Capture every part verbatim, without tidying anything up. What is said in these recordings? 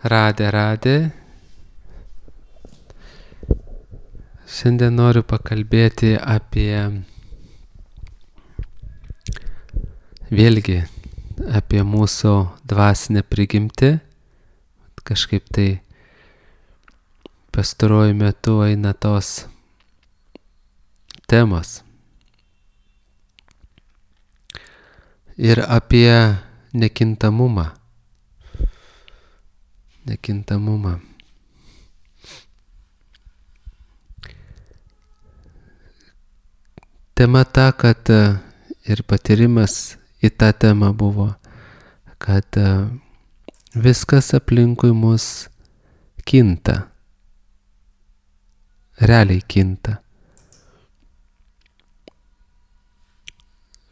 Radė, radė. Šiandien noriu pakalbėti apie, vėlgi, apie mūsų dvasinę prigimtį. Kažkaip tai pastaruoju metu eina tos temos. Ir apie nekintamumą. Nekintamumą. Tema ta, kad ir patyrimas į tą temą buvo, kad viskas aplinkui mus kinta. Realiai kinta.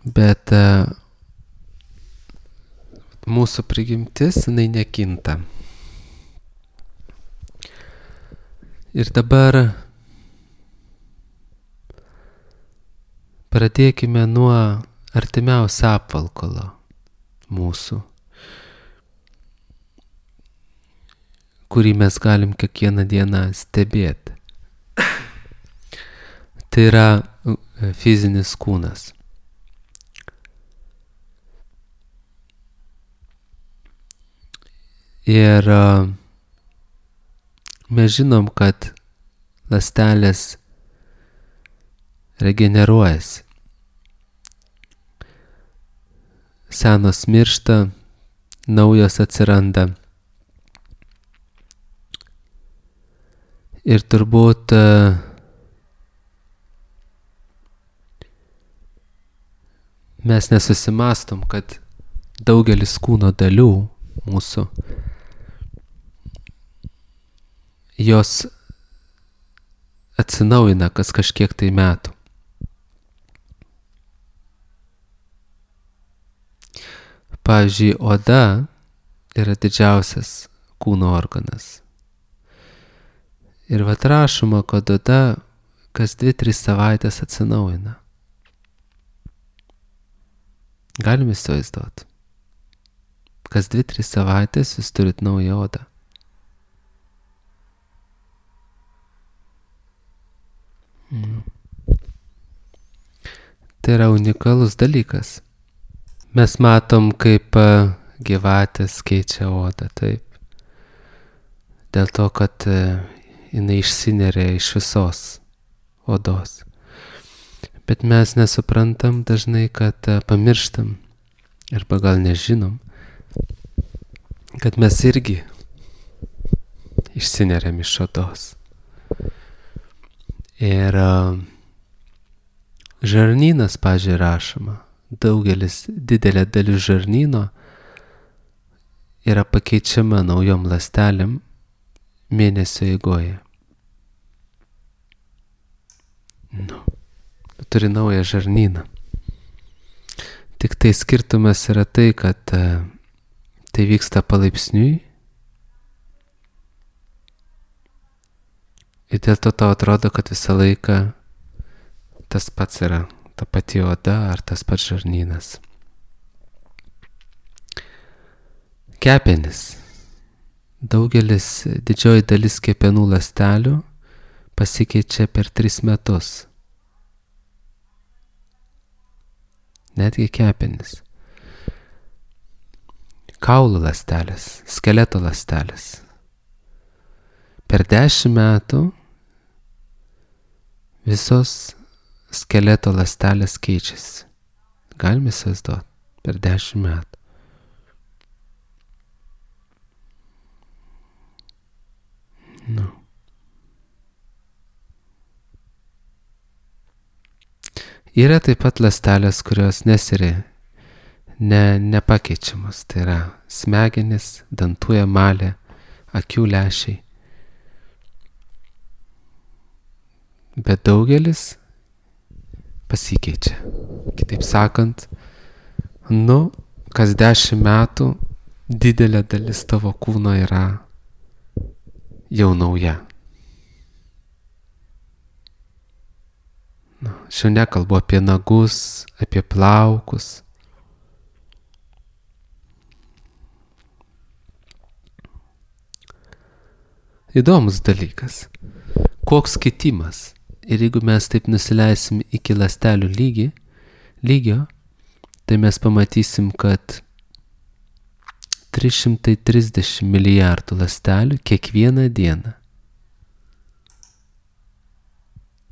Bet mūsų prigimtis, jinai nekinta. Ir dabar pradėkime nuo artimiausio apvalkalo mūsų, kurį mes galim kiekvieną dieną stebėti. Tai yra fizinis kūnas. Ir mes žinom, kad ląstelės regeneruojasi. Senos miršta, naujos atsiranda. Ir turbūt mes nesusimastom, kad daugelis kūno dalių mūsų, jos atsinaujina kas kažkiek tai metų. Pavyzdžiui, oda yra didžiausias kūno organas. Ir vat rašoma, kad oda kas dvi tris savaitės atsinaujina. Galim įsivaizduoti. Kas dvi tris savaitės jūs turit naują odą. Mm. Tai yra unikalus dalykas. Mes matom, kaip gyvatės keičia odą, taip. Dėl to, kad jinai išsineria iš visos odos. Bet mes nesuprantam dažnai, kad pamirštam, arba gal nežinom, kad mes irgi išsineriam iš odos. Ir žarnynas, pavyzdžiui, rašoma. Daugelis, didelė dalis žarnyno yra pakeičiama naujom ląstelėm mėnesio eigoje. Nu, turi naują žarnyną. Tik tai skirtumas yra tai, kad tai vyksta palaipsniui. Ir dėl to tau atrodo, kad visą laiką tas pats yra, ta pati oda ar tas pats žarnynas. Kepenys. Daugelis, didžioji dalis kepenų ląstelių pasikeičia per tris metus. Netgi kepenys. Kaulų ląstelės, skeleto ląstelės. Per dešimt metų visos skeleto ląstelės keičiasi. Galime įsivaizduoti, per dešimt metų. Nu. Yra taip pat ląstelės, kurios nesiri, ne, nepakeičiamos. Tai yra smegenys, dantų emalė, akių lęšiai. Bet daugelis pasikeičia. Kitaip sakant, nu, kas dešimt metų didelė dalis tavo kūno yra jau nauja. Nu, šiandien kalbu apie nagus, apie plaukus. įdomus dalykas. Koks kitimas. Ir jeigu mes taip nusileisim iki ląstelių lygį, lygio, tai mes pamatysim, kad trys šimtai trisdešimt milijardų ląstelių kiekvieną dieną.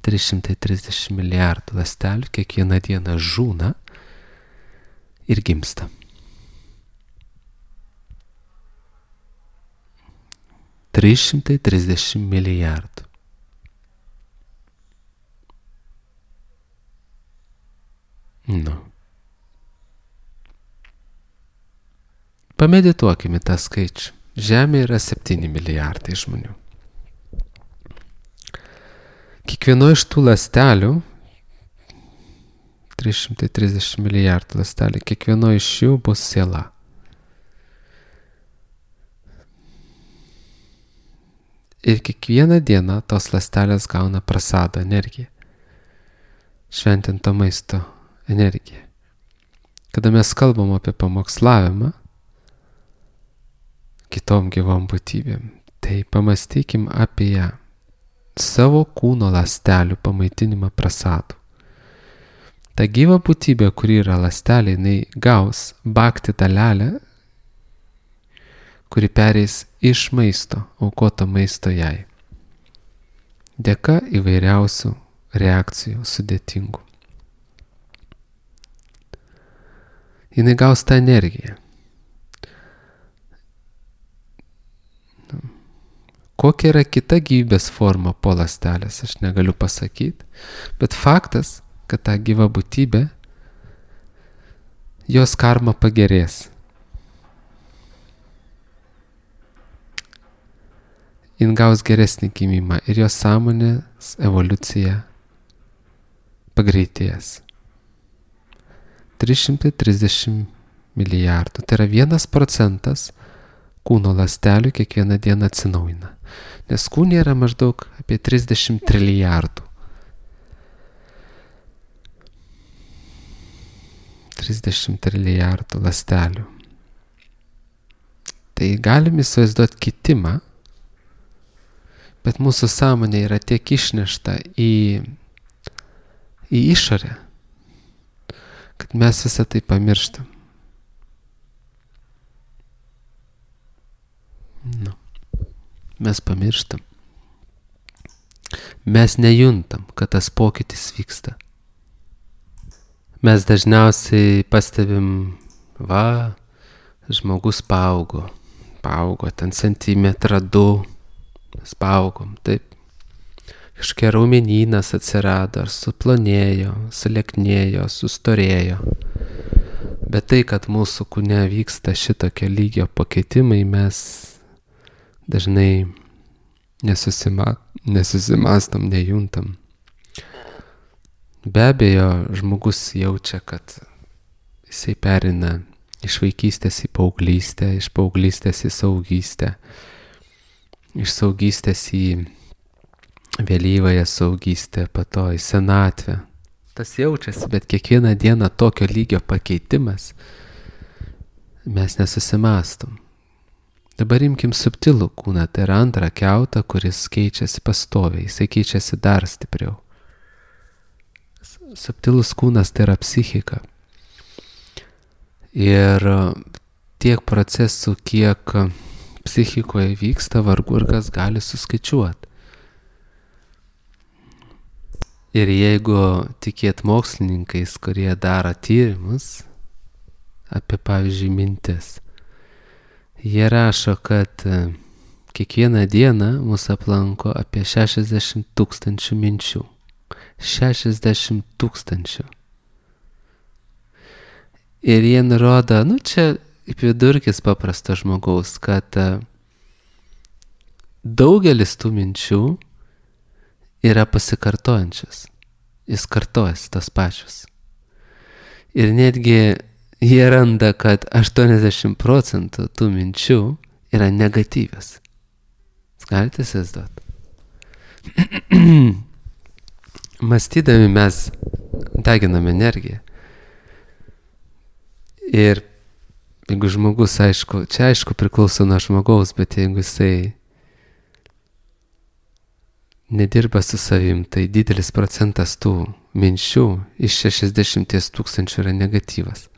trys šimtai trisdešimt milijardų ląstelių kiekvieną dieną žūna ir gimsta. trys šimtai trisdešimt milijardų. Nu. Pamedituokime tą skaičių. Žemė yra septyni milijardai žmonių. Kiekvieno iš tų ląstelių, trys šimtai trisdešimt milijardų ląstelių, kiekvieno iš jų bus siela. Ir kiekvieną dieną tos ląstelės gauna prasado energiją. Šventinto maisto energiją. Kada mes kalbam apie pamokslavimą kitom gyvom būtybėm, tai pamastykim apie savo kūno ląstelių pamaitinimą prasadų. Ta gyva būtybė, kuri yra ląstelė, jinai gaus bakti dalelę, kuri pereis iš maisto, aukoto maisto jai. Dėka įvairiausių reakcijų sudėtingų. Jinai gaus tą energiją. Kokia yra kita gyvybės forma po ląstelės, aš negaliu pasakyti, bet faktas, kad ta gyva būtybė, jos karma pagerės. Jin gaus geresnį gimimą ir jos sąmonės evoliucija pagreitės. trys šimtai trisdešimt milijardų. Tai yra vienas procentas kūno ląstelių kiekvieną dieną atsinaujina. Nes kūne yra maždaug apie trisdešimt trilijardų. trisdešimt trilijardų ląstelių. Tai galim įsivaizduoti kitimą, bet mūsų sąmonė yra tiek išnešta į, į išorę, kad mes visą tai pamirštam. Nu, mes pamirštam. Mes nejuntam, kad tas pokytis vyksta. Mes dažniausiai pastebim, va, žmogus paaugo, paaugo ten centimetrą du, mes paaugom, taip. Kažkokia raumenynas atsirado, ar suplonėjo, sulieknėjo, sustorėjo. Bet tai, kad mūsų kūne vyksta šitokio lygio pakeitimai, mes dažnai nesusima, nesusimastom, nejuntam. Be abejo, žmogus jaučia, kad jisai perina iš vaikystės į paauglystę, iš paauglystės į saugystę, iš saugystės į vėlyvąją saugystę, po to į senatvę. Tas jaučiasi, bet kiekvieną dieną tokio lygio pakeitimas mes nesusimastom. Dabar imkim subtilų kūną, tai yra antrą kiautą, kuris keičiasi pastoviai, jisai keičiasi dar stipriau. Subtilus kūnas tai yra psichika. Ir tiek procesų, kiek psichikoje vyksta, vargu ir kas gali suskaičiuoti. Ir jeigu tikėt mokslininkais, kurie daro tyrimus apie, pavyzdžiui, mintis, jie rašo, kad kiekvieną dieną mūsų aplanko apie šešiasdešimt tūkstančių minčių. šešiasdešimt tūkstančių. Ir jie nurodo, nu čia vidurkis paprasto žmogaus, kad daugelis tų minčių yra pasikartojančios. Jis kartojasi tos pačios. Ir netgi jie randa, kad aštuoniasdešimt procentų tų minčių yra negatyvios. Jūs galite įsivaizduoti? Mąstydami mes deginame energiją. Ir jeigu žmogus, aišku, čia aišku priklauso nuo žmogaus, bet jeigu jisai nedirba su savim, tai didelis procentas tų minčių iš šešiasdešimties tūkstančių yra negatyvas.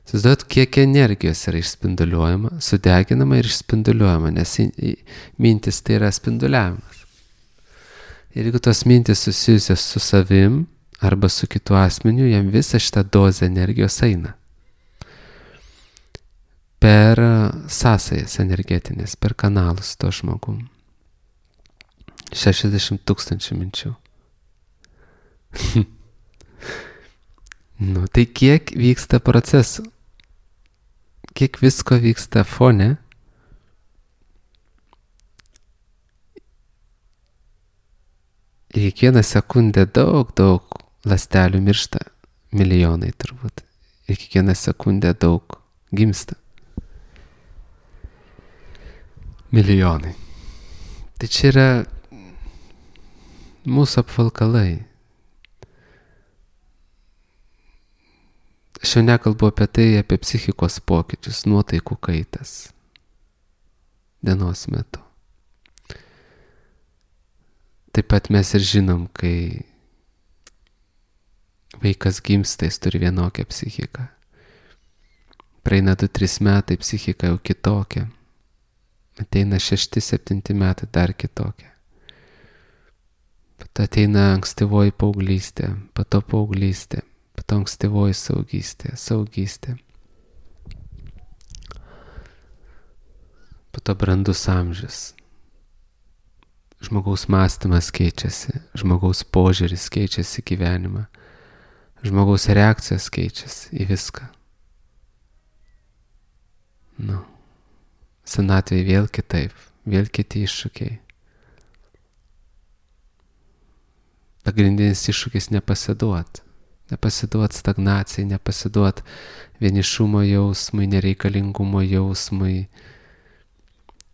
Įsivaizduojat, kiek energijos yra išspinduliuojama, sudeginama ir išspinduliuojama, nes mintis tai yra spinduliavimas. Ir jeigu tos mintis susijusios su savim arba su kitu asmeniu, jam visą šitą dozę energijos eina. Per sąsajas energetinės, per kanalus to žmogum. šešiasdešimt tūkstančių minčių. Nu, tai kiek vyksta procesų? Kiek visko vyksta fone? Ir kiekvieną sekundę daug, daug ląstelių miršta. Milijonai turbūt. Ir kiekvieną sekundę daug gimsta. Milijonai. Tai čia yra mūsų apvalkalai. Aš jau nekalbu apie tai, apie psichikos pokyčius, nuotaikų kaitas dienos metu. Taip pat mes ir žinom, kai vaikas gimsta, jis turi vienokią psichiką. Praeina du tris metai, psichika jau kitokia. Ateina šešti septinti metai, dar kitokia. Pato ateina ankstyvoji paauglystė, pato paauglystė, pato ankstyvoji saugystė, saugystė. Pato brandus amžius. Žmogaus mąstymas keičiasi, žmogaus požiūris keičiasi gyvenimą, žmogaus reakcijos keičiasi į viską. Nu, senatvėje vėl kitaip, vėl kiti iššūkiai. Pagrindinis iššūkis nepasiduot. Nepasiduot stagnacijai, nepasiduot vienišumo jausmui, nereikalingumo jausmui.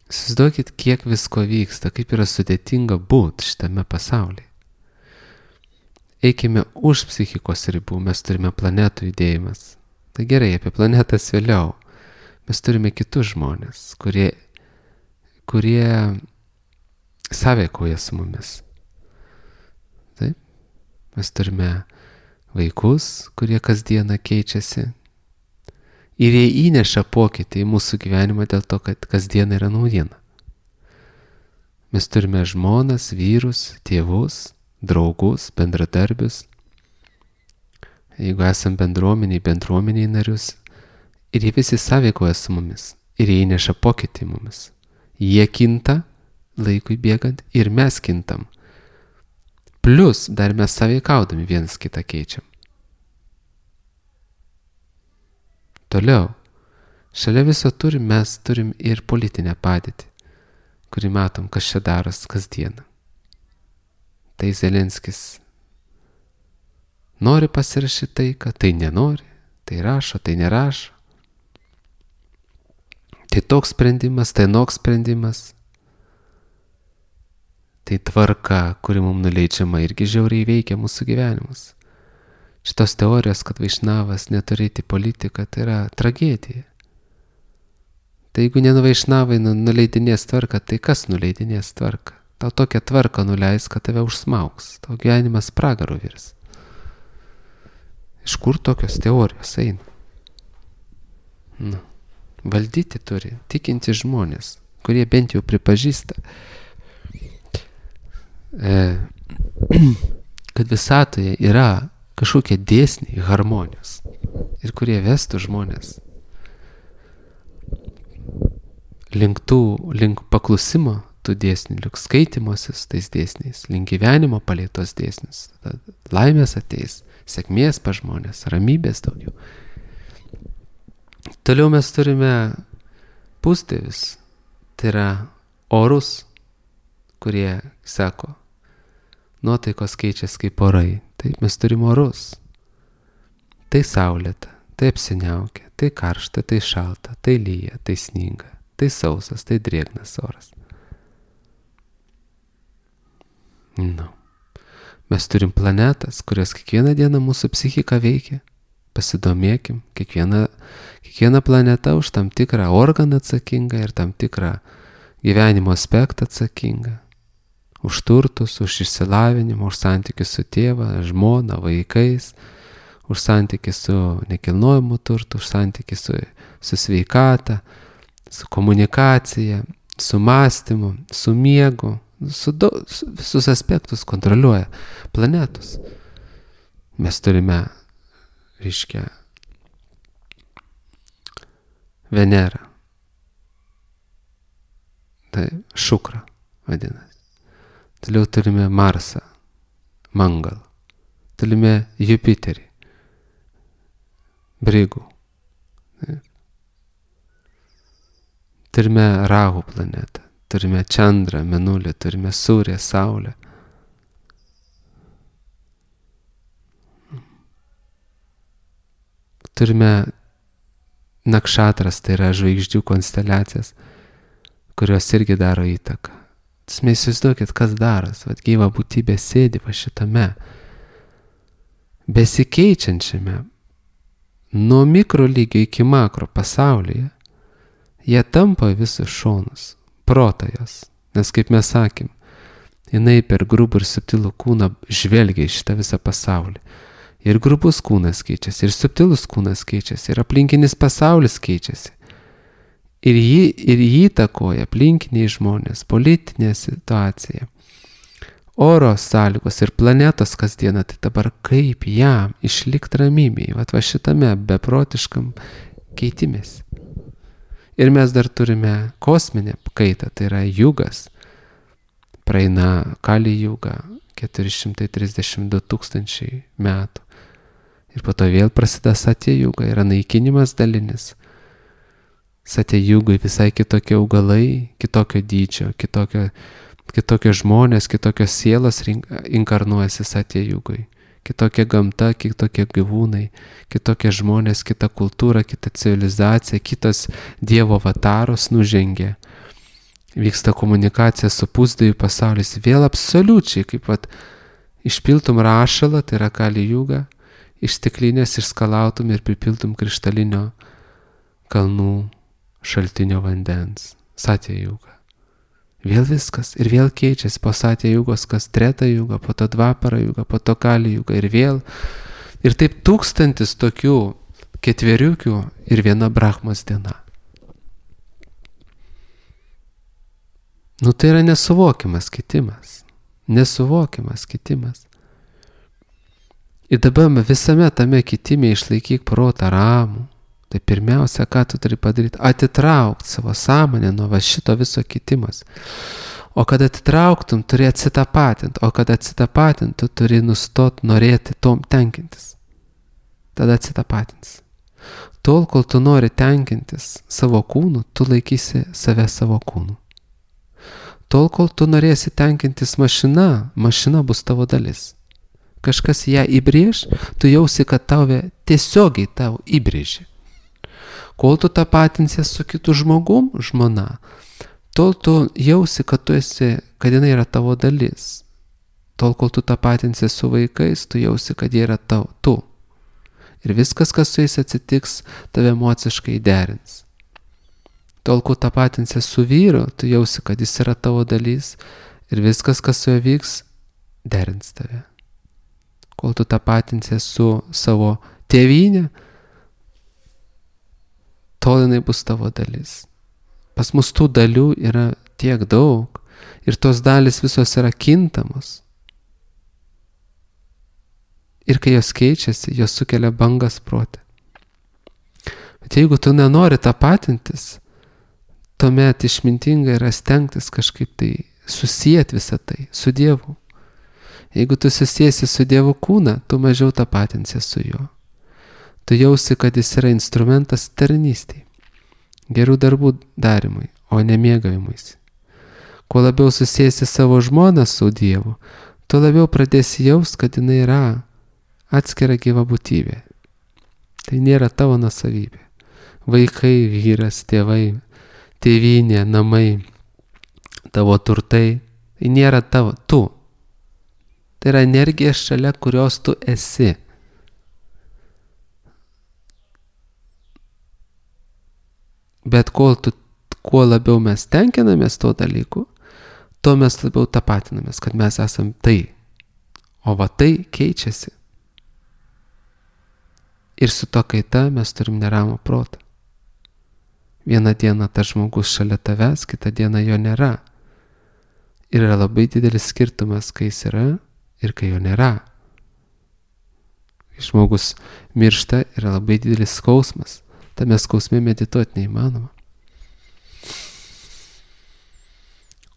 Įsivaizduokit, kiek visko vyksta, kaip yra sudėtinga būti šitame pasaulyje. Eikime už psichikos ribų, mes turime planetų judėjimas. Tai gerai, apie planetas vėliau. Mes turime kitus žmonės, kurie, kurie sąveikauja su mumis. Taip? Mes turime vaikus, kurie kasdieną keičiasi. Ir jie įneša pokytį į mūsų gyvenimą dėl to, kad kasdiena yra naujiena. Mes turime žmonas, vyrus, tėvus, draugus, bendradarbius. Jeigu esam bendruomeniai, bendruomeniai narius, ir jie visi sąveikoja su mumis, ir jie įneša pokytį į mumis. Jie kinta laikui bėgant ir mes kintam. Plus dar mes sąveikaudami vienas kitą keičiam. Toliau, šalia viso turim, mes turim ir politinę padėtį, kurį matom, kas čia daros kasdieną. Tai Zelenskis nori pasirašyti taiką, tai nenori, tai rašo, tai nerašo. Tai toks sprendimas, tai noks sprendimas. Tai tvarka, kuri mums nuleidžiama, irgi žiauriai veikia mūsų gyvenimus. Šitos teorijos, kad Vaišnavas neturėti politiką, tai yra tragedija. Tai jeigu ne Vaišnavai nuleidinės tvarką, tai kas nuleidinės tvarką? Tau tokią tvarką nuleis, kad tave užsmaugs. Tau gyvenimas pragaru virs. Iš kur tokios teorijos eina? Nu, valdyti turi tikinti žmonės, kurie bent jau pripažįsta, e, kad visatoje yra kažkokie dėsniai harmonijos ir kurie vestų žmonės link tų, link paklusimo tų dėsnių, link skaitimosis tais dėsniais, link gyvenimo palei tos dėsnius. Tada laimės ateis, sėkmės pa žmonės, ramybės daugiau. Toliau mes turime pusdievius, tai yra orus, kurie sako, nuotaikos keičiasi kaip orai. Taip, mes turim orus. Tai saulėta, tai apsiniaukia, tai karšta, tai šalta, tai lyja, tai sninga, tai sausas, tai drėgnas oras. Nu. Mes turim planetas, kurios kiekvieną dieną mūsų psichika veikia. Pasidomėkim, kiekviena, kiekviena planeta už tam tikrą organą atsakinga ir tam tikrą gyvenimo aspektą atsakinga. už turtus, už išsilavinimą, už santykius su tėva, žmona, vaikais, už santykių su nekilnojimu turtu, už santykių su, su sveikata, su komunikacija, su mąstymu, su miegu, su do, su, visus aspektus kontroliuoja planetos. Mes turime, reiškia, Venerą. Tai Šukra vadinasi. Toliau turime Marsą, Mangalą. Turime Jupiterį, Brigų. Turime Rahu planetą, turime Čandrą, Mėnulį, turime Surę, Saulę. Turime Nakšatras, tai yra žvaigždžių konsteliacijas, kurios irgi daro įtaką. Mes įsivaizduokit, kas daras, vat gyva būtybė sėdi va šitame, besikeičiančiame, nuo mikro lygio iki makro pasaulyje, jie tampa visus šonus, protas, nes kaip mes sakėm, jinai per grubų ir subtilų kūną žvelgia į šitą visą pasaulį. Ir grubus kūnas keičiasi, ir subtilus kūnas keičiasi, ir aplinkinis pasaulis keičiasi. Ir jį, ir jį įtakoja aplinkiniai žmonės, politinė situacija, oro sąlygos ir planetos kasdieną. Tai dabar kaip jam išlikti ramybėje, va, va šitame beprotiškam keitimės. Ir mes dar turime kosminę kaitą, tai yra jugas, praeina Kali juga, keturi šimtai trisdešimt du tūkstančiai metų. Ir po to vėl prasideda Satya juga, yra naikinimas dalinis. Satya jugai visai kitokie augalai, kitokio dydžio, kitokio, kitokio žmonės, kitokios sielos inkarnuojasi Satya jugai. Kitokia gamta, kitokie gyvūnai, kitokie žmonės, kita kultūra, kita civilizacija, kitas Dievo avataros nužengia. Vyksta komunikacija su pusdievių pasaulis, vėl absoliučiai, kaip vat, išpiltum rašalą, tai yra Kali juga, iš stiklinės išskalautum ir pripiltum krištalinio kalnų šaltinio vandens. Satya juga. Vėl viskas, ir vėl keičiasi po Satya jugos, kas Treta juga, po to Dvapara juga, po to Kali juga, ir vėl. Ir taip tūkstantis tokių ketveriukių ir viena Brahmos diena. Nu tai yra nesuvokiamas kitimas. Nesuvokiamas kitimas. Ir dabar visame tame kitime išlaikyk protą ramų. Tai pirmiausia, ką tu turi padaryti, atitraukti savo sąmonę nuo va šito viso kitimas. O kad atitrauktum, turi atsitapatinti. O kad atsitapatinti, tu turi nustoti norėti tom tenkintis. Tada atsitapatins. Tol, kol tu nori tenkintis savo kūnu, tu laikysi save savo kūnu. Tol, kol tu norėsi tenkintis mašina, mašina bus tavo dalis. Kažkas ją įbrėž, tu jausi, kad tave tiesiogiai tau įbrėži. Kol tu tapatinsies su kitu žmogum, žmona, tol tu jausi, kad tu esi, kad jinai yra tavo dalis. Tol, kol tu tapatinsies su vaikais, tu jausi, kad jie yra tau, tu. Ir viskas, kas su jais atsitiks, tave emociškai derins. Tol, kol tapatinsies su vyru, tu jausi, kad jis yra tavo dalis. Ir viskas, kas su juo vyks, derins tave. Kol tu tapatinsies su savo tėvynė, tol jinai bus tavo dalis. Pas mus tų dalių yra tiek daug ir tos dalis visos yra kintamos. Ir kai jos keičiasi, jos sukelia bangas prote. Bet jeigu tu nenori tapatintis, tuomet išmintinga yra stengtis kažkaip tai susijęti visą tai su Dievu. Jeigu tu susiesi su Dievo kūną, tu mažiau tapatinsies su juo. Tu jausi, kad jis yra instrumentas tarnystei, gerų darbų darimui, o ne mėgavimuisi. Kuo labiau susiesi savo žmoną su Dievu, tuo labiau pradėsi jaust, kad jinai yra atskira gyva būtybė. Tai nėra tavo nuosavybė. Vaikai, vyras, tėvai, tėvynė, namai, tavo turtai, tai nėra tavo, tu. Tai yra energija, šalia kurios tu esi. Bet kol tu, kuo labiau mes tenkinamės to dalyku, tuo mes labiau tapatinamės, kad mes esam tai. O va tai keičiasi. Ir su to kaita mes turim neramų protą. Vieną dieną tas žmogus šalia tavęs, kitą dieną jo nėra. Ir yra labai didelis skirtumas, kai jis yra ir kai jo nėra. Žmogus miršta, yra labai didelis skausmas. Tame skausme medituoti neįmanoma.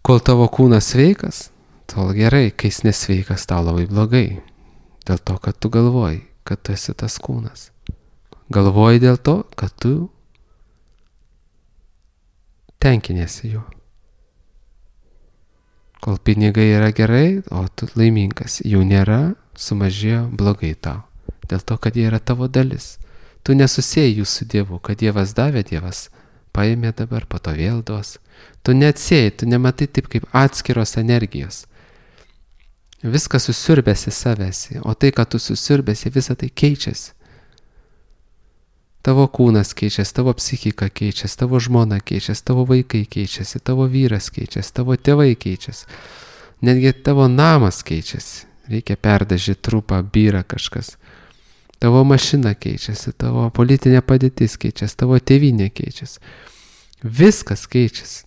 Kol tavo kūnas sveikas, tol gerai, kai jis nesveikas, tau labai blogai. Dėl to, kad tu galvoji, kad tu esi tas kūnas. Galvoji dėl to, kad tu tenkinėsi juo. Kol pinigai yra gerai, o tu laimingas, jų nėra, sumažėjo, blogai tau. Dėl to, kad jie yra tavo dalis. Tu nesusėjai jų su Dievu, kad Dievas davė, Dievas paėmė dabar, po to vėl duos. Tu neatsiejai, tu nematai taip kaip atskiros energijos. Viskas susiurbėsi savęsi, o tai, kad tu susiurbėsi, visą tai keičiasi. Tavo kūnas keičiasi, tavo psichika keičiasi, tavo žmona keičiasi, tavo vaikai keičiasi, tavo vyras keičiasi, tavo tėvai keičiasi. Netgi tavo namas keičiasi. Reikia perdažyti trupą, byra kažkas. Tavo mašina keičiasi, tavo politinė padėtis keičiasi, tavo tėvynė keičiasi. Viskas keičiasi.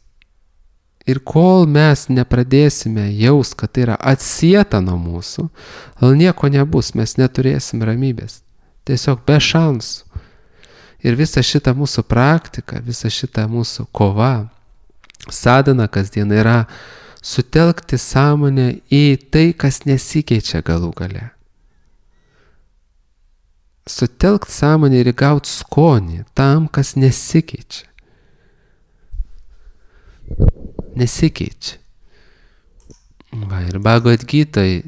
Ir kol mes nepradėsime jaus, kad tai yra atsieta nuo mūsų, gal nieko nebus, mes neturėsim ramybės. Tiesiog be šansų. Ir visa šita mūsų praktika, visa šita mūsų kova, sadhana kasdien yra sutelkti sąmonę į tai, kas nesikeičia galų gale. Sutelkti sąmonę ir įgauti skonį tam, kas nesikeičia. Nesikeičia. Va, ir Bhagavad Gitoj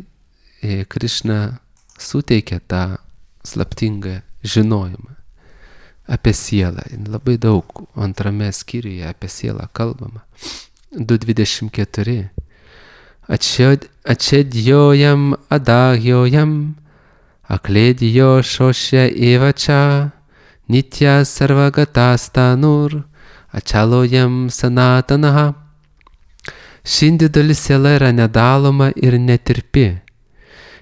Krišna suteikia tą slaptingą žinojimą apie sielą. Labai daug antrame skyriuje apie sielą kalbama. du dvidešimt keturi. Ačedjojam adagjojam akledijo šošia evača nitya sarvagatas-tanur ačalojam sanatanaha. Ši individuali siela yra nedaloma ir netirpi.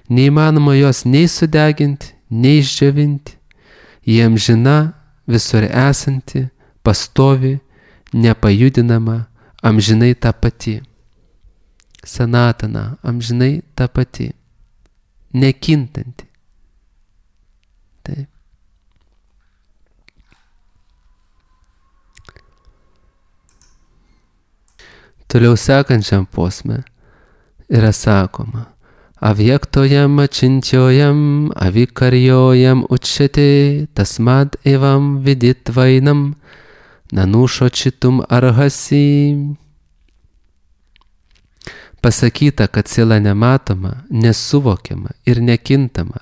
Neįmanoma jos nei sudeginti, nei išdžiovinti. Ji amžina, visur esanti, pastovi, nepajudinama, amžinai ta pati. Sanatana, amžinai ta pati. Nekintanti. Taip. Toliau sekančiam posme yra sakoma: Avyaktojam achintjojam avikarjojam uchyate tasmad evam viditvainam nanushochitum arhasi. Pasakyta, kad siela nematoma, nesuvokiama ir nekintama.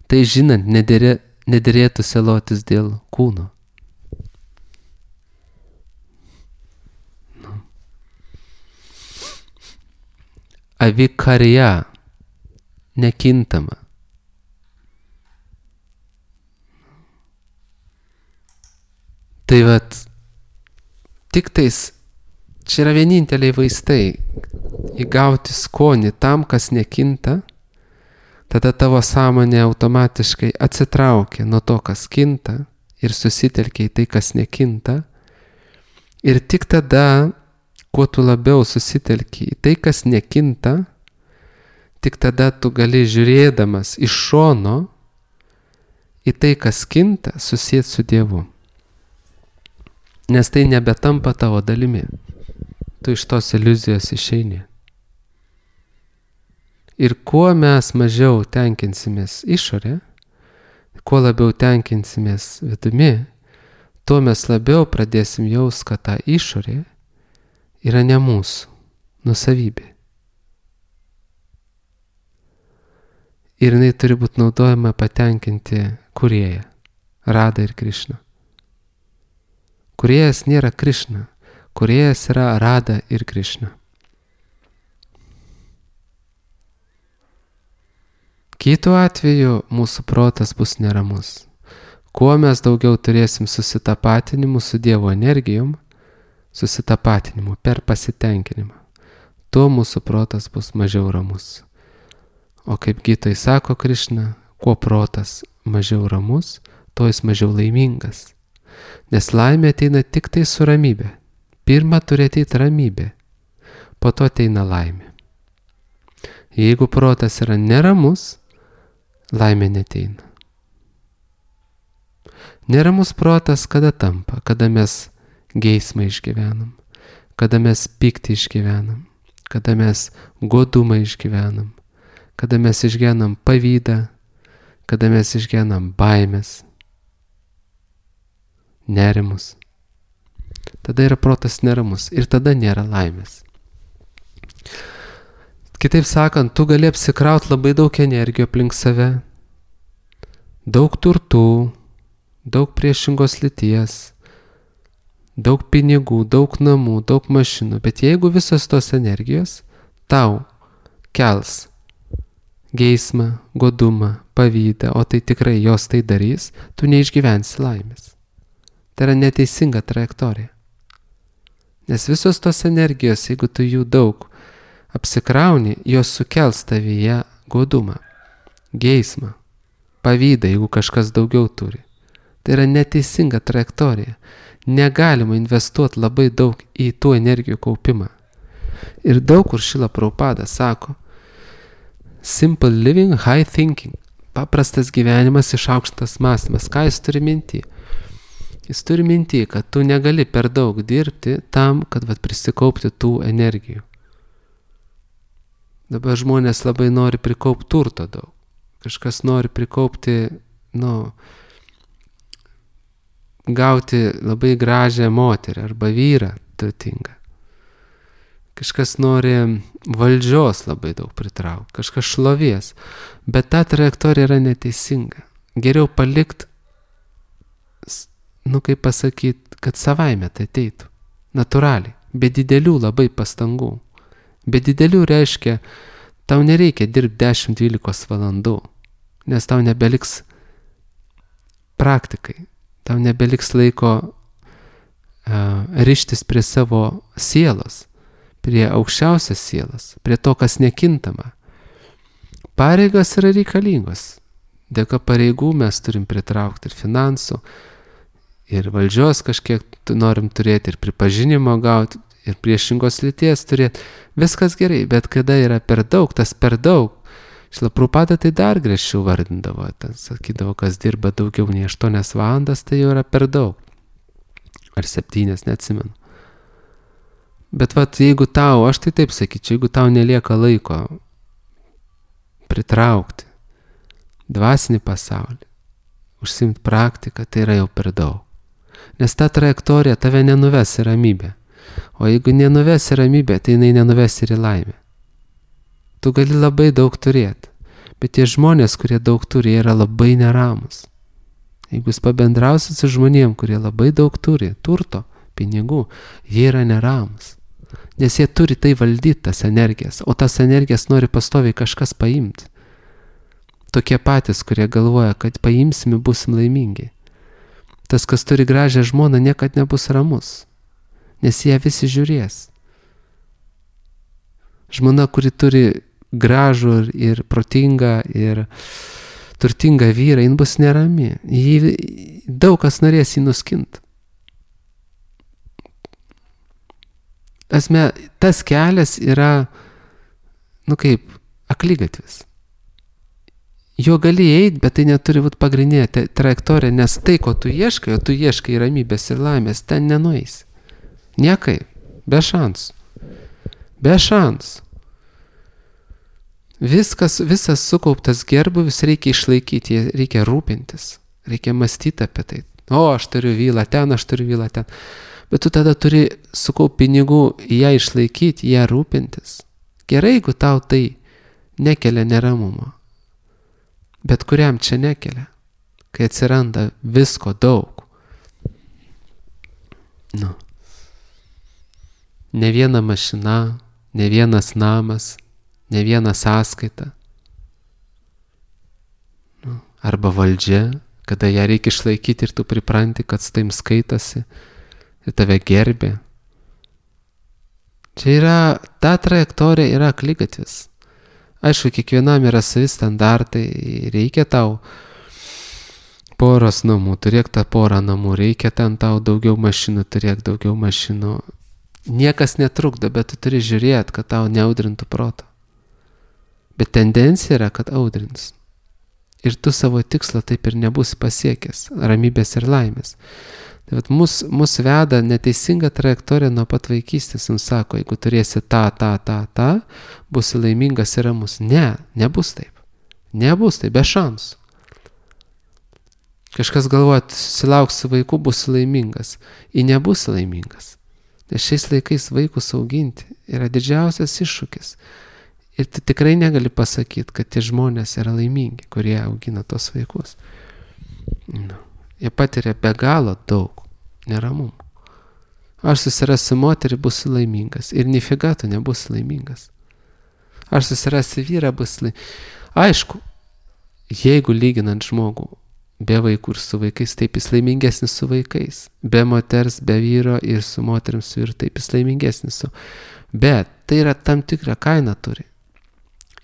Tai žinant, nedėrė, nedėrėtų sielotis dėl kūno. Avikarja, nekintama. Tai vat, tik tais, čia yra vieninteliai vaistai, įgauti skonį tam, kas nekinta, tada tavo sąmonė automatiškai atsitraukia nuo to, kas kinta ir susitelkia į tai, kas nekinta. Ir tik tada, kuo tu labiau susitelki į tai, kas nekinta, tik tada tu gali žiūrėdamas iš šono į tai, kas kinta, susieti su Dievu. Nes tai nebetampa tavo dalimi. Tu iš tos iliuzijos išeini. Ir kuo mes mažiau tenkinsimės išorę, kuo labiau tenkinsimės vidumi, tuo mes labiau pradėsim jaust, kad ta išorė yra ne mūsų nusavybė. Ir jinai turi būti naudojama patenkinti kūrėją, Radą ir Krišną. Kūrėjas nėra Krišna, kūrėjas yra Rada ir Krišna. Kitu atveju mūsų protas bus neramus. Kuo mes daugiau turėsim susitapatinimų su Dievo energijom, susitapatinimų per pasitenkinimą, tuo mūsų protas bus mažiau ramus. O kaip Gitai sako Krišna, kuo protas mažiau ramus, tuo jis mažiau laimingas. Nes laimė ateina tik tai su ramybė. Pirma turi ateiti ramybė, po to ateina laimė. Jeigu protas yra neramus, laimė neteina. Neramus protas kada tampa, kada mes geismą išgyvenam, kada mes pyktį išgyvenam, kada mes godumą išgyvenam, kada mes išgyvenam pavydą, kada mes išgyvenam baimės, nerimus. Tada yra protas neramus ir tada nėra laimės. Kitaip sakant, tu gali apsikraut labai daug energijos aplink save, daug turtų, daug priešingos lyties, daug pinigų, daug namų, daug mašinų, bet jeigu visos tos energijos tau kels geismą, godumą, pavydą, o tai tikrai jos tai darys, tu neišgyvensi laimės. Tai yra neteisinga trajektorija. Nes visos tos energijos, jeigu tu jų daug apsikrauni, jos sukels tavyje godumą, geismą, pavydą, jeigu kažkas daugiau turi. Tai yra neteisinga trajektorija. Negalima investuoti labai daug į tų energijų kaupimą. Ir daug kur Šrila Prabhupada sako, simple living, high thinking. Paprastas gyvenimas, išaukštas mąstymas. Ką jis turi minty? Jis turi minty, kad tu negali per daug dirbti tam, kad vat, prisikaupti tų energijų. Dabar žmonės labai nori prikaupti turto daug. Kažkas nori prikaupti, nu, gauti labai gražią moterį arba vyrą turtingą. Kažkas nori valdžios labai daug pritraukti, kažkas šlovės, bet ta trajektorija yra neteisinga. Geriau palikti, nu kaip pasakyti, kad savaime tai ateitų, natūraliai, be didelių labai pastangų. Be didelių reiškia, tau nereikia dirbti dešimt dvylika valandų, nes tau nebeliks praktikai, tau nebeliks laiko uh, rištis prie savo sielos, prie aukščiausios sielos, prie to, kas nekintama. Pareigos yra reikalingos. Dėka pareigų mes turim pritraukti ir finansų, ir valdžios kažkiek norim turėti, ir pripažinimo gauti, ir priešingos lyties turėti. Viskas gerai, bet kada yra per daug, tas per daug. Šrila Prabhupada tai dar griežčiau vardindavo. Ten sakydavo, kas dirba daugiau nei aštuonias valandas, tai jau yra per daug. Ar septynias, neatsimenu. Bet vat, jeigu tau, aš tai taip sakyčiau, jeigu tau nelieka laiko pritraukti dvasinį pasaulį, užsiimti praktiką, tai yra jau per daug. Nes ta trajektorija tave nenuves į ramybę. O jeigu nenuves į ramybę, tai jinai nenuves ir į laimę. Tu gali labai daug turėti, bet tie žmonės, kurie daug turi, yra labai neramus. Jeigu jūs pabendrausit su žmonėm, kurie labai daug turi, turto, pinigų, jie yra neramus. Nes jie turi tai valdyti, tas energijas, o tas energijas nori pastoviai kažkas paimti. Tokie patys, kurie galvoja, kad paimsime, busim laimingi. Tas, kas turi gražią žmoną, niekad nebus ramus, nes jie visi žiūrės. Žmona, kuri turi gražų ir, ir protingą ir turtingą vyrą, jin bus nerami. Jį, daug kas norės jį nuskinti. Asme, tas kelias yra, nu kaip, akligatvis. Jo gali eiti, bet tai neturi būti pagrindinė trajektorija, nes tai, ko tu ieškai, o tu ieškai ramybės ir laimės, ten nenueisi. Niekaip, be šansų. Be šansų. Viskas, visas sukauptas gerbuvis reikia išlaikyti, reikia rūpintis, reikia mąstyti apie tai. O, aš turiu vilą ten, aš turiu vilą ten. Bet tu tada turi sukaupti pinigų, ją išlaikyti, ją rūpintis. Gerai, jeigu tau tai nekelia neramumo. Bet kuriam čia nekelia, kai atsiranda visko daug. Nu. Ne viena mašina, ne vienas namas, ne viena sąskaita. Nu. Arba valdžia, kada ją reikia išlaikyti ir tu pripranti, kad su taim skaitasi ir tave gerbė. Čia yra, ta trajektorija yra akligatvis. Aišku, kiekvienam yra savi standartai, reikia tau poros namų, turėk tą porą namų, reikia ten tau daugiau mašinų, turėk daugiau mašinų. Niekas netrukdo, bet tu turi žiūrėti, kad tau neaudrintų proto. Bet tendencija yra, kad audrins. Ir tu savo tikslo taip ir nebūsi pasiekęs, ramybės ir laimės. Tai vat mus, mus veda neteisinga trajektorija nuo pat vaikystės. Jums sako, jeigu turėsi tą, tą, tą, tą, būsi laimingas ir ramus. Ne, nebus taip. Nebus taip, be šansų. Kažkas galvoja, susilauksi vaikų, būsi laimingas. Ir nebūsi laimingas. Nes šiais laikais vaikus auginti yra didžiausias iššūkis. Ir tu tikrai negali pasakyti, kad tie žmonės yra laimingi, kurie augina tos vaikus. Nu, jie patiria be galo daug neramumų. Aš susirasiu moterį, būsiu laimingas. Ir nifiga tu nebūsi laimingas. Aš susirasiu vyrą, būsiu laimingas. Aišku, jeigu lyginant žmogų be vaikų ir su vaikais, taip jis laimingesnis su vaikais. Be moters, be vyro ir su moterim su vyru, taip jis laimingesnis su. Bet tai yra tam tikra kaina turi.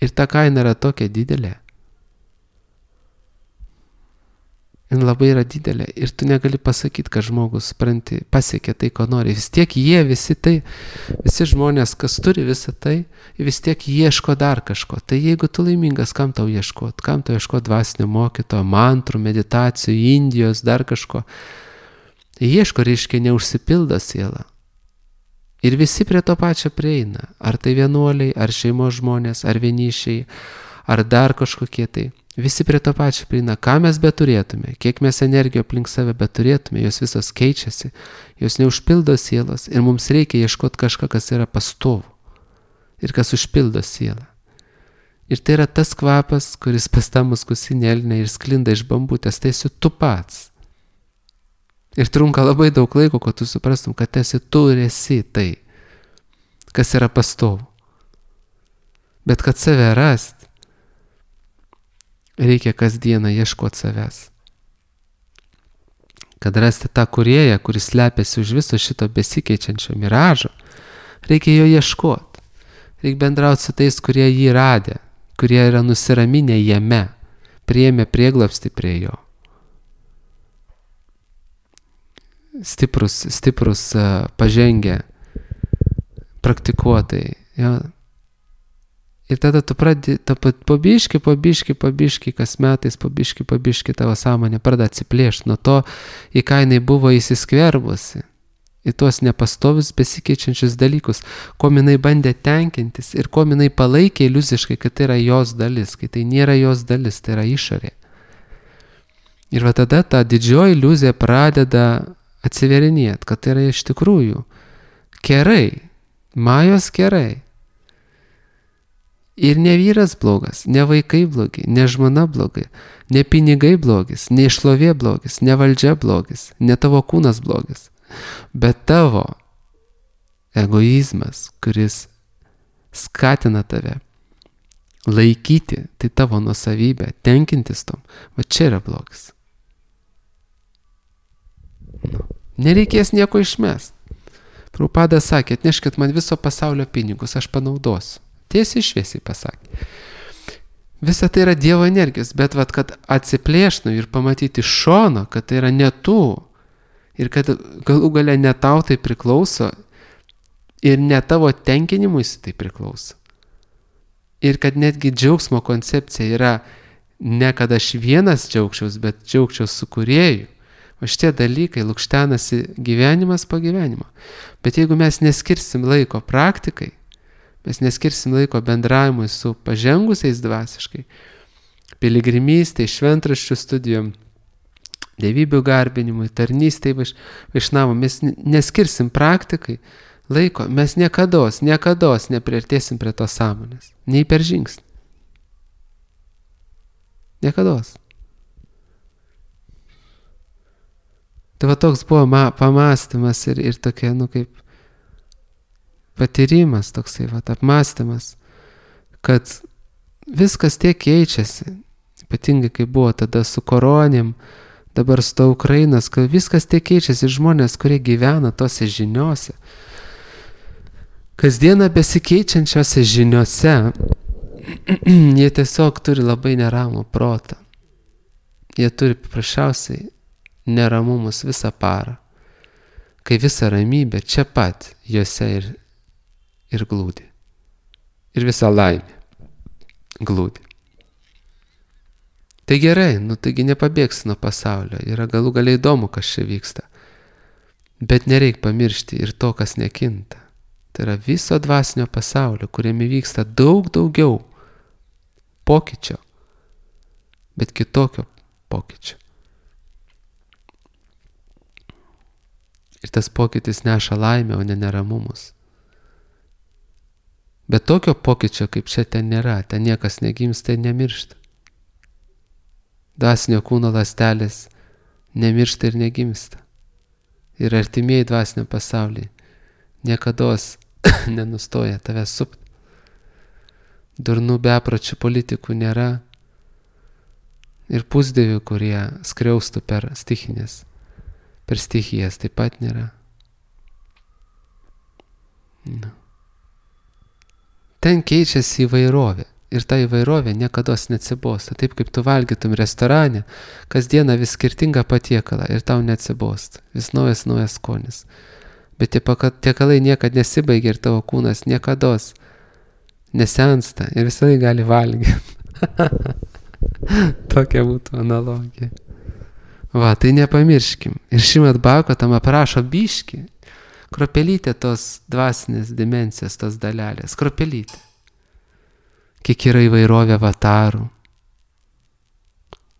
Ir ta kaina yra tokia didelė. Jis labai yra didelė. Ir tu negali pasakyti, kad žmogus, supranti, pasiekė tai, ko nori. Vis tiek jie visi tai, visi žmonės, kas turi visą tai, vis tiek ieško dar kažko. Tai jeigu tu laimingas, kam tau ieškot? Kam tau ieškot dvasinio mokytojo, mantrų, meditacijų, Indijos, dar kažko? Ieško, reiškia, neužsipildo siela. Ir visi prie to pačio prieina. Ar tai vienuoliai, ar šeimos žmonės, ar vienišiai, ar dar kažkokie tai. Visi prie to pačio prieina. Ką mes beturėtume, kiek mes energijos aplink save beturėtume, jos visos keičiasi, jos neužpildo sielos ir mums reikia ieškoti kažką, kas yra pastovu ir kas užpildo sielą. Ir tai yra tas kvapas, kuris pas tą muskusinėlinę ir sklinda iš bambutės, tai esi tu pats. Ir trunka labai daug laiko, kad tu suprastum, kad esi tu ir esi tai, kas yra pastovu. Bet kad save rast, reikia kasdieną ieškoti savęs. Kad rasti tą kūrėją, kuris slepiasi už viso šito besikeičiančio miražo, reikia jo ieškoti. Reikia bendrauti su tais, kurie jį radė, kurie yra nusiraminę jame, priėmė prieglobstį prie jo. Stiprus, stiprus uh, pažengę praktikuotai. Ja. Ir tada tu pradedi, po biškį, po biškį, po biškį, kas metais, po biškį, po biškį tavo sąmonė pradeda atsiplėšti nuo to, į ką jinai buvo įsiskverbusi, į tuos nepastovius besikeičiančius dalykus, ko jinai bandė tenkintis ir ko jinai palaikė iliuziškai, kad tai yra jos dalis, kai tai nėra jos dalis, tai yra išorė. Ir va tada ta didžioji iliuzija pradeda atsiverinėt, kad tai yra iš tikrųjų kerai, majos kerai. Ir ne vyras blogas, ne vaikai blogi, ne žmona blogai, ne pinigai blogis, ne šlovė blogis, ne valdžia blogis, ne tavo kūnas blogis, bet tavo egoizmas, kuris skatina tave laikyti, tai tavo nuosavybę, tenkintis tom, va čia yra blogis. Nu, nereikės nieko išmest. Prabhupada sakė, atneškit man viso pasaulio pinigus, aš panaudosiu. Tiesiai šviesiai pasakė. Visa tai yra Dievo energijos, bet vat, kad atsiplėšnu ir pamatyti iš šono, kad tai yra ne tu ir kad galų gale ne tau tai priklauso ir ne tavo tenkinimuisi tai priklauso. Ir kad netgi džiaugsmo koncepcija yra ne kad aš vienas džiaugčiaus, bet džiaugčiaus su kūrėju. O šitie dalykai lukštenasi gyvenimas po gyvenimo. Bet jeigu mes neskirsim laiko praktikai, mes neskirsim laiko bendravimui su pažengusiais dvasiškai, piligrimystei, šventraščių studijom, dievybių garbinimui, tarnystei vaišnavų, mes neskirsim praktikai laiko, mes niekados, niekados nepriartėsim prie tos sąmonės. Nei per žingsnį. Niekados. Tai va toks buvo ma, pamastymas ir, ir tokia, nu kaip patyrimas, toksai va, apmąstymas, kad viskas tiek keičiasi, ypatingai kai buvo tada su koronėm, dabar su to Ukrainos, kad viskas tiek keičiasi, žmonės, kurie gyvena tose žiniose, kasdieną besikeičiančiose žiniose jie tiesiog turi labai neramų protą. Jie turi paprasčiausiai neramumus visą parą, kai visa ramybė čia pat juose ir, ir glūdi. Ir visa laimė glūdi. Tai gerai, nu taigi nepabėgsi nuo pasaulio, yra galų galiai įdomu, kas čia vyksta. Bet nereik pamiršti ir to, kas nekinta. Tai yra viso dvasinio pasaulio, kuriame vyksta daug daugiau pokyčio, bet kitokio pokyčio. Ir tas pokytis neša laimę, o ne neramumus. Bet tokio pokyčio, kaip čia ten nėra, ten niekas negimsta ir nemiršta. Dvasinio kūno ląstelės nemiršta ir negimsta. Ir artimieji dvasinio pasaulyje niekados nenustoja tave supti. Durnų bepročių politikų nėra ir pusdievių, kurie skriaustų per stichinės, per stichijas taip pat nėra. No. Ten keičiasi įvairovė. Ir ta įvairovė niekados neatsibosta. Taip kaip tu valgytum restorane, kasdieną vis skirtingą patiekalą ir tau neatsibosta. Vis naujas, naujas skonis. Bet tie patiekalai niekad nesibaigia ir tavo kūnas niekados nesensta ir visai gali valgyti. Tokia būtų analogija. Va, tai nepamirškim. Ir Šrimad Bhagavatam aprašo biškį, kropelytė tos dvasinės dimensijos, tos dalelės. Kropelytė. Kiek yra įvairovė avatarų.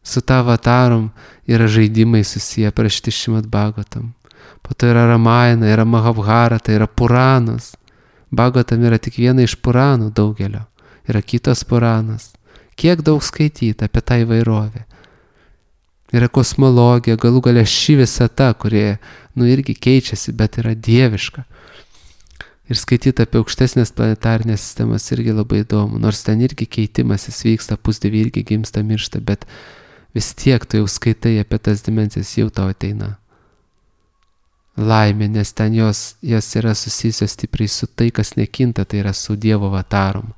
Su ta avatarom yra žaidimai susiję prašyti Šrimad Bhagavatam. Po to yra Ramayana, yra Mahabharata, yra Puranas. Bhagavatam yra tik viena iš Puranų daugelio. Yra kitas Puranas. Kiek daug skaityti apie tą įvairovę. Yra kosmologija, galų galia ši visata, kurie, nu, irgi keičiasi, bet yra dieviška. Ir skaityti apie aukštesnės planetarinės sistemas irgi labai įdomu, nors ten irgi keitimasis vyksta, pusdieviai irgi gimsta, miršta, bet vis tiek tu jau skaitai apie tas dimensijas, jau tau ateina laimė, nes ten jos, jos yra susijusios stipriai su tai, kas nekinta, tai yra su Dievo avatarom.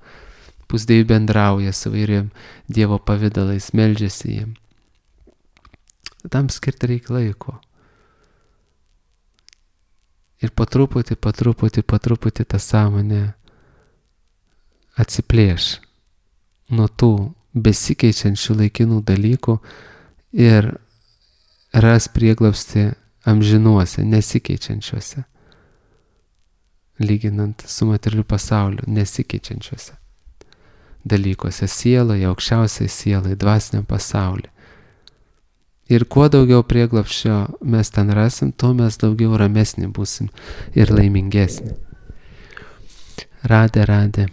Pusdieviai bendrauja su vairiam Dievo pavidalais, meldžiasi jiem. Tam skirti reikia laiko. Ir po truputį, po truputį, po truputį ta sąmonė atsiplėš nuo tų besikeičiančių laikinų dalykų ir ras prieglobstį amžinuose, nesikeičiančiuose, lyginant su materialiu pasauliu, nesikeičiančiuose dalykuose, sieloje, aukščiausiai sielai, dvasiniam pasauliu. Ir kuo daugiau prieglobsčio mes ten rasim, tuo mes daugiau ramesni būsim ir laimingesni. Radė, radė.